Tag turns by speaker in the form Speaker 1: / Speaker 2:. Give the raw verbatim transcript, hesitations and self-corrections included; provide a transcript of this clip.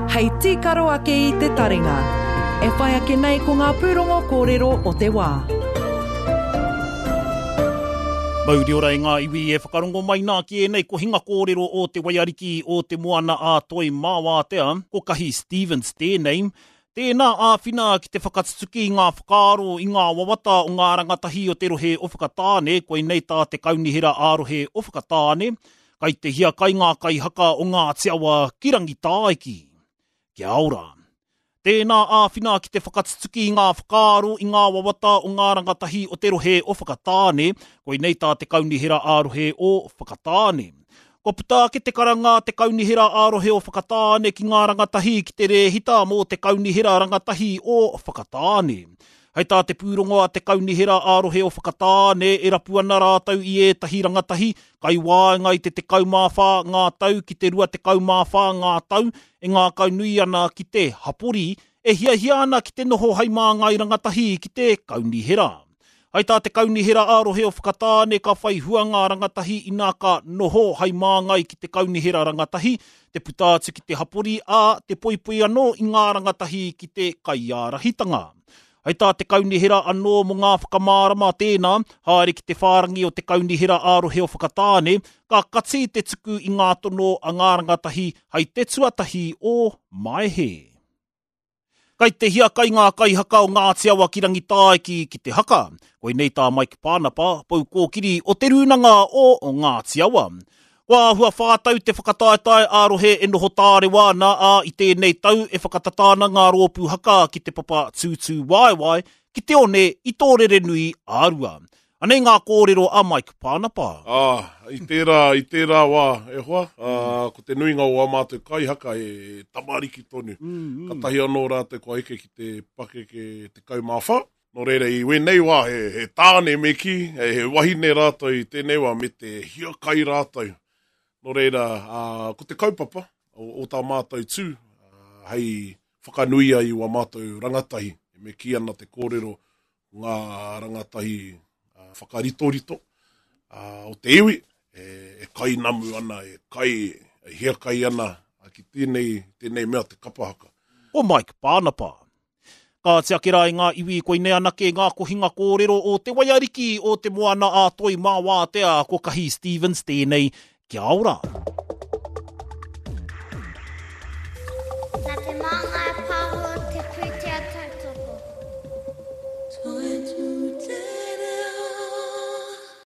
Speaker 1: Hei tīkaro ake i te taringa. E whai ake nei ko ngā pūrongo kōrero o te wā.
Speaker 2: Mauri ora e ngā iwi e whakarongo mai nā ki ēnei kohinga kōrero o te waiariki o te moana a Toi Māwātea, ko Kahi Stevens tēnei. Tēnā āwhina ki te whakatutuki i ngā whakaaro i ngā wawata o ngā rangatahi o te rohe o Whakatāne, koinei tā te kaunihera ā-rohe o Whakatāne, kai te hiakai ngā kaihaka o Ngāti Awa ki Rangitāiki. Kia ora. Tēnā āwhina ki te whakatutuki i ngā whakaaro i ngā wawata o ngā rangatahi o te rohe o Whakatāne, koinei tā te kaunihera ā-rohe o Whakatāne. Kua puta ake te karanga a te kaunihera ā-rohe o Whakatāne ki ngā rangatahi ki te rēhita mō te kaunihera rangatahi o Whakatāne. Hei tā te pūrongo a te kaunihera ā-rohe o Whakatāne e rapu ana rātou i ētahi rangatahi kai waenga i te tekau mā whā ngā tau ki te rua tekau mā whā ngā tau e ngākaunui ana ki te hapori e hiahia ana ki te noho hei māngai rangatahi ki te kaunihera. Hei tā te kaunihera ā-rohe o Whakatāne ka whai hua ngā rangatahi inā ka noho hei māngai ki te kaunihera rangatahi, te puta atu ki te hapori ā, te poipoi anō i ngā rangatahi ki te kaiārahitanga. Hei tā te kaunihera anō mō ngā whakamārama tēnā, haere ki te whārangi o te kaunihera ā-rohe o Whakatāne, ka kati te tuku i ngā tono a ngā rangatahi hei te tuatahi o Maehe. Kai te hiakai ngā kaihaka o Ngāti Awa ki Rangitāiki ki te haka. Koinei tā Mike Pānapa, pou kōkiri o Te Rūnanga o Ngāti Awa. Kua āhua whā tau te whakataetae ā-rohe e noho tārewa ana, ā, i tēnei tau e whakatata ana ngā rōpū haka ki te papa tūtū waewae ki te one i Tōrerenui ā-Rua. Anei ngā kōrero a Mike Pānapa.
Speaker 3: Ā, i tērā, i tērā wā, e hoa, ā, ko te nuinga o ā mātou kaihaka he tamariki tonu. Katahi anō rātou kua eke ki te pakeke tekau mā whā. Nō reira, i wēnei wā, he, he tāne me kī, he, he wahine rātou i tēnei wā, me te hiakai rātou. Nō reira, ā, ko te kaupapa o, o tā mātou tū, ā, hei whakanuia i wā mātou rangatahi, me kī ana te kōrero ngā rangatahi ā, whakaritorito ā, o te iwi, e, e kainamu ana, e kai, e hiakai ana ki tēnei, tēnei mea te kapa haka.
Speaker 2: Ko Mike Pānapa. Kāti ake rā i ngā iwi koinei anake ngā kohinga kōrero o te waiariki o te moana a Toi Māwātea, ko Kahi Stevens tēnei. Kia ora.